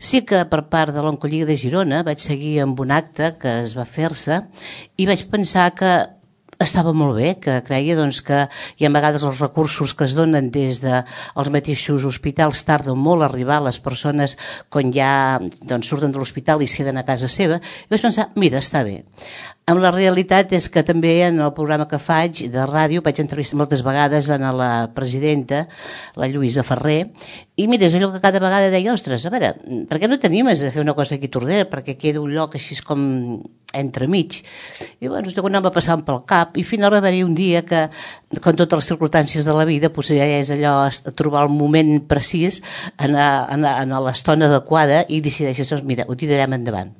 Sí que per part de l'Oncolliga de Girona vaig seguir amb un acte que es va fer-se i vaig pensar que estava molt bé, que creia doncs, que hi ha a vegades els recursos que es donen des dels mateixos hospitals tarden molt a arribar a les persones quan ja doncs, surten de l'hospital i es queden a casa seva, i vaig pensar, mira, està bé. Amb la realitat és que també en el programa que faig de ràdio vaig entrevistar moltes vegades a la presidenta, la Lluïsa Ferrer, i mira, és allò que cada vegada deia, ostres, a veure, per què no t'animes a fer una cosa aquí a Tordera, perquè queda un lloc així com entremig? I bueno, quan em va passar pel cap, i al final va haver-hi un dia que, com totes les circumstàncies de la vida, potser ja és allò, trobar el moment precís, en l'estona adequada, i decideixes, doncs mira, ho tirarem endavant.